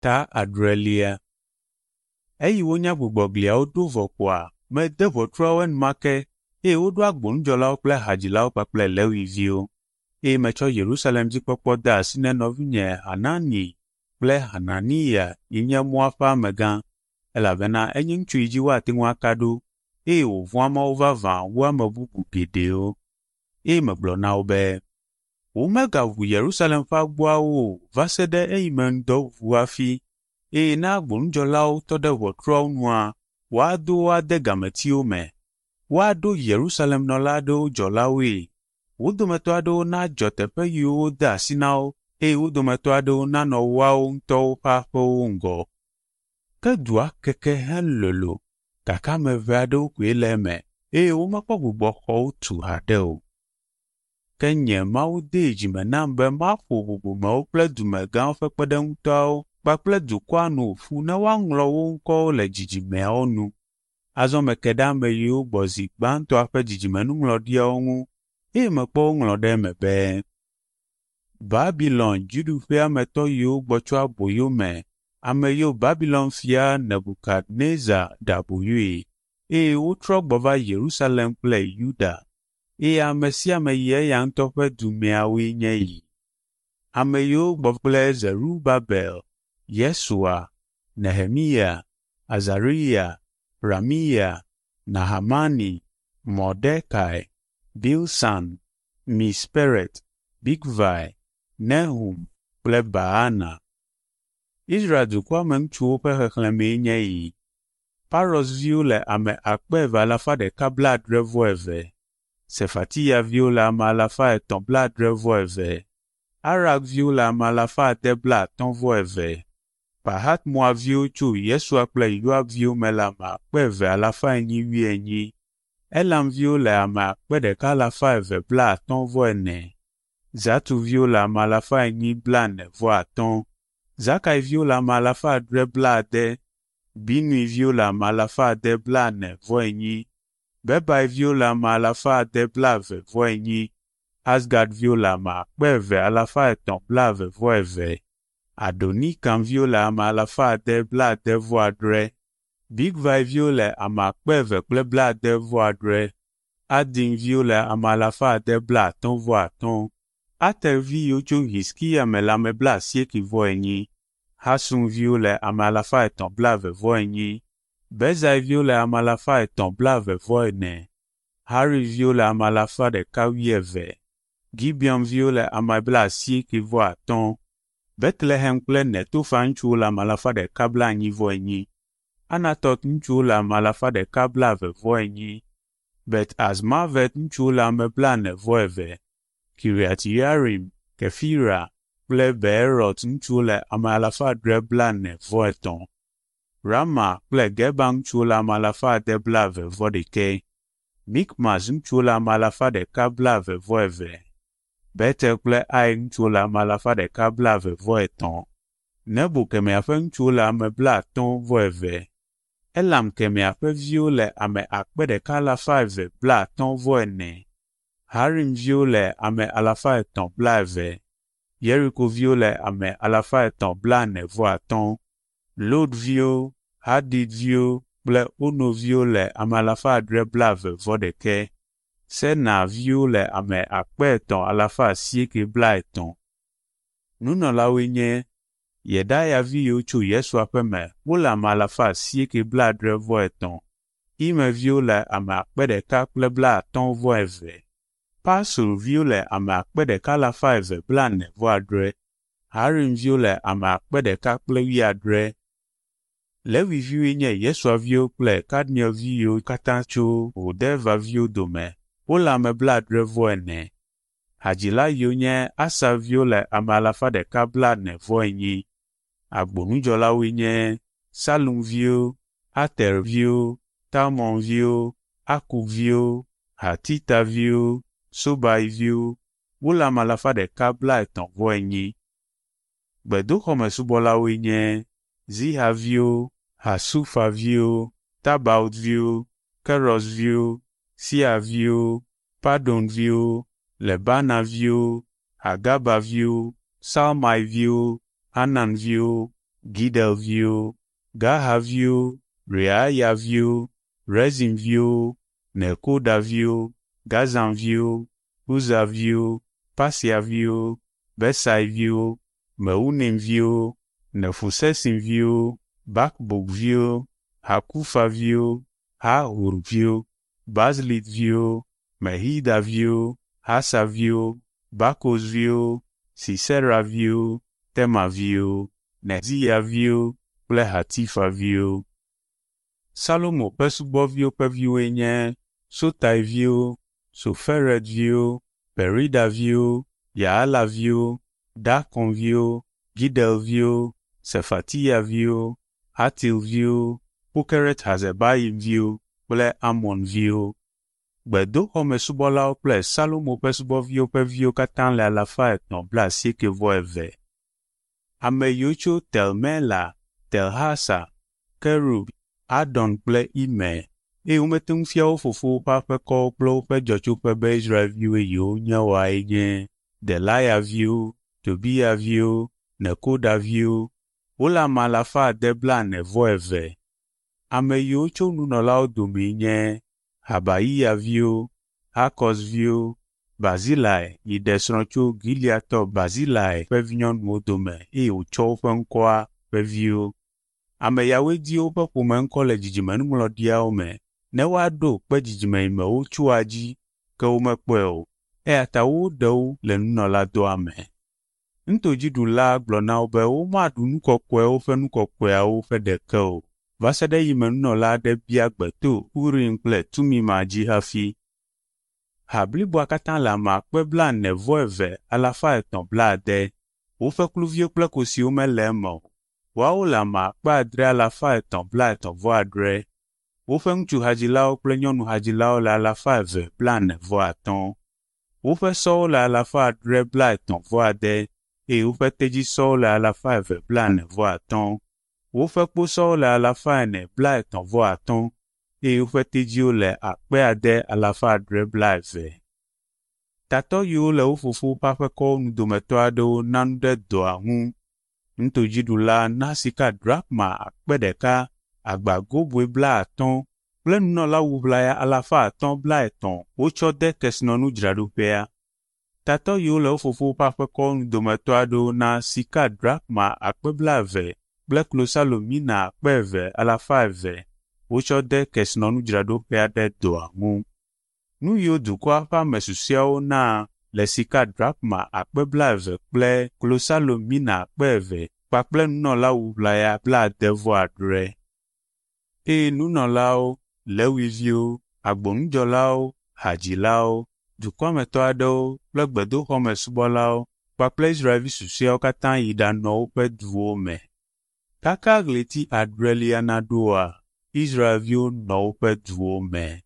Ta adrelia. Eyi wonya gbugbɔ gliawo ɖo vɔ koa, mede ʋɔtruawo enumake eye woɖo agbonudzɔlawo kple hadzilawo kpakple Lewi viwo. Eye metsɔ Yerusalem dzikpɔkpɔ de asi na nɔvinye Hanani kple Hananiya yi nye mɔa ƒe amegã, elabena enye ŋutsu yi dzi woate ŋu aka ɖo eye wòvɔ̃a Mawu vavã wu ame bubu geɖewo. Eye megblɔ na wo be, Womegaʋu Yerusalem ƒe agboawo o va se ɖe eyime ŋdɔ ʋu hafi, eye ne agbonudzɔlawo tɔ ɖe ʋɔtruawo nua, woado wo ade gametiwo me. Woaɖo Yerusalem nɔla aɖewo dzɔlawoe. Wo dometɔ aɖewo nadzɔ teƒe yiwo wode asi na wo eye wo dometɔ aɖewo nanɔ woawo ŋutɔwo ƒe aƒewo ŋgɔ. Ke dua keke helolo, gake ame ʋɛ aɖewo koe le eme eye womekpɔ gbugbɔ xɔwo tu haɖe o. Ke nye Mawu dee dzime nam be maƒo bubumewo kple dumegãwo ƒe kpeɖeŋutɔawo kpakple dukɔa nu ƒu ne woaŋlɔ wo ŋkɔwo le dzidzimeawo nu. Azɔ meke ɖe ame yiwo gbɔ zi gbãtɔa ƒe dzidzimenuŋlɔɖiawo ŋu eye mekpɔ woŋlɔ ɖe eme be, Babilon dziɖuƒea me tɔ yiwo gbɔ tso aboyo me, ame yiwo Babilon fia Nebukadnezar ɖe aboyoe, eye wotrɔ gbɔ va Yerusalem kple Yuda, eye ame sia ame yi eya ŋutɔ ƒe du meawoe nye yi. Ame yiwo gbɔ kple Zerubabel, Yesua, Nehemiya, Azariya, Ramiya, Nahamani, Mordekai, Bilsan, Misperet, Bigvai, Nehum kple Baana. Israel dukɔa me ŋutsuwo ƒe xexlẽmee nye yi. Paros viwo le ame 2,172. Sefatiya viwo le ame 372. Arak viwo le ame 652. Pahat Moab viwo tso Yesua kple Yoab viwo me le ame 2444. Elam viwo le ame 1254. Zatu viwo le ame 445. Zakai viwo le ame 760. Binui viwo le ame 644. Bebai viwo le ame 624. Azgad viwo le ame 2322. Adonikam viwo le ame 678. Bigvai viwo le ame 2077. Adin viwo le ame 655. Ater vi yiwo tso Hizkiya me le ame 84. Hasum viwo le ame 324. Bezai viwo le ame 324. Harif viwo le ame 112. Gibeon viwo le ame 85. Betlehem kple Netofa ŋutsuwo le ame 144. Anatot ŋutsuwo le ame 124. Bet Azmavet ŋutsuwo le ame 42. Kiriat Yearim, Kefira kple Beerot ŋutsuwo le ame 743. Rama kple Geba ŋutsuwo le ame 621. Mikmas ŋutsuwo le ame 122. Betel kple Ai ŋutsuwo le ame 123. Nebo kemɛa ƒe ŋutsuwo le ame 52. Elam kemɛa ƒe viwo le ame 1254. Harim viwo le ame 320. Yeriko viwo le ame 345. Lod viwo, Hadid viwo kple Ono viwo le ame 721. Sena viwo le ame 3850. Nunɔlawoe nye Yedaya vi yiwo tso Yesua ƒe me wole ame 873. Imer viwo le ame 1052. Pasur viwo le ame 1246. Harim viwo le ame 1070. Lewi viwoe nye Yesua viwo kple Kadmiel vi yiwo katã tso Hodeva viwo dome. Wole ame 74. Hadzila yiwo nye Asaf viwo le ame 144. Agbonudzɔlawoe nye Salum viwo, Ater viwo, Talmon viwo, Akub viwo, Hatita viwo, Sobai viwo. Wole ame 134. Gbedoxɔmesubɔlawoe nye Ziha viwo, Hasufa viwo, Tabaot viwo, Keros viwo, Sia viwo, Padon viwo, Lebana viwo, Hagaba viwo, Salmai viwo, Hanan viwo, Gidel viwo, Gahar viwo, Reaya viwo, Rezin viwo, Nekoda viwo, Gazam viwo, Uza viwo, Pasea viwo, Besai viwo, Meunim viwo, Nefusesim viwo, Bakbuk viwo, Hakufa viwo, Harhur viwo, Bazlit viwo, Mehida viwo, Hasa viwo, Barkos viwo, Sisera viwo, Tema viwo, Nezia viwo kple Hatifa viwo. Salomo ƒe subɔviwo ƒe viwoe nye Sotai viwo, Soferet viwo, Perida viwo, Yaala viwo, Darkon viwo, Gidel viwo, Sefatiya viwo, Hatil viwo, Pokeret Hazebayim viwo kple Amon viwo. Gbedoxɔmesubɔlawo kple Salomo ƒe subɔviwo ƒe viwo katã le 392. Ame yiwo tso Tel Mela, Tel Hasa, Kerub, Adon kple Imer, eye womete ŋu fia wo fofowo ƒe aƒekɔwo kple woƒe dzɔtsoƒe be Israelviwoe yewonye oae nye Delaya viwo, Tobiya viwo, Nekoda viwo. Wole ame 642. Ame yiwo tso nunɔlawo domee nye Habayiya viwo, Hakɔz viwo, Barzilai yi ɖe srɔ̃ tso Gileadtɔ Barzilai ƒe vinyɔnuwo dome eye wòtsɔ woƒe ŋkɔa ƒe viwo. Ame yawoe di woƒe ƒome ŋkɔ le dzidzimenuŋlɔɖiawo me ne woaɖo kpe dzidzime yi me wotsoa dzi ke womekpɔe o, eya ta woɖe wo le nunɔladɔa me. Nutodziɖula gblɔ na wo be womaɖu nu kɔkɔewo ƒe nu kɔkɔeawo ƒe ɖeke o, va se ɖe eyime nunɔla aɖe bia gbe to Urim kple Tumima dzi hafi. Ha bliboa katã le ame akpe 442 370. Woƒe kluviwo kple kosiwo mele eme o. Woawo le ame akpe 6 338. Woƒe ŋutsuhadzilawo kple nyɔnuhadzilawo le 245. Woƒe sɔwo le 739 eye woƒe tedzisɔwo le 245. Woƒe kposɔwo le 435 eye woƒe tedziwo le 6,620. Tatɔ yiwo le wo fofowo ƒe aƒekɔwo nu dometɔ aɖewo na nu ɖe dɔa ŋu. Nutodziɖula na sika drakma 1,000, agba goboe 50 kple nunɔlawu ʋlaya 530 wotsɔ de kesinɔnudzraɖoƒea. Tatɔ yiwo le wo fofowo ƒe aƒekɔwo nu dometɔ aɖewo na sika drakma 20,000 kple klosalo mina 2,200 wotsɔ de kesinɔnudzraɖoƒea ɖe dɔa ŋu. Nu yiwo dukɔa ƒe ame susɔeawo na le sika drakma 20,000 kple klosalo mina 2,000 kpakple nunɔlawu ʋlaya 70. Eye nunɔlawo, Lewiviwo, agbonudzɔlawo, hadzilawo, dukɔa me tɔ aɖewo kple gbedoxɔmesubɔlawo kpakple Israelvi susɔeawo katã yi ɖanɔ woƒe duwo me. Kaka ɣleti adrelia naɖoa, Israelviwo nɔ woƒe duwo me.